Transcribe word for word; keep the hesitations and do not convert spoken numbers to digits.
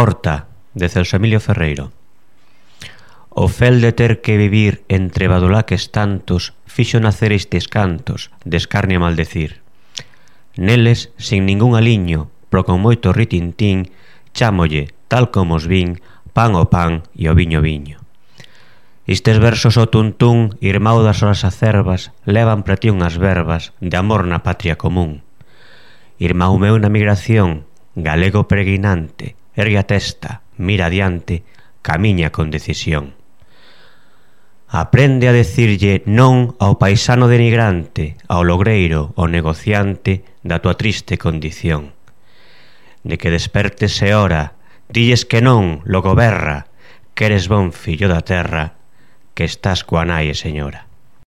Porta, de Celso Emilio Ferreiro. O fel de ter que vivir entre badulaques tantos fixo nacer estes cantos de escarnio a maldecir. Neles, sin ningún aliño, pro con moito ritintín, chámolle, tal como os vin, pan o pan e o viño viño. Estes versos o tuntún, irmão das horas acerbas, levan para ti unhas verbas de amor na patria común. Irmão meu na migración, galego peregrinante, ergue a testa, mira adiante, camiña con decisión. Aprende a decirlle non ao paisano denigrante, ao logreiro, ao negociante da tua triste condición. De que despertes e ora, dilles que non, logo berra, que eres bon fillo da terra, que estás coa nai e señora.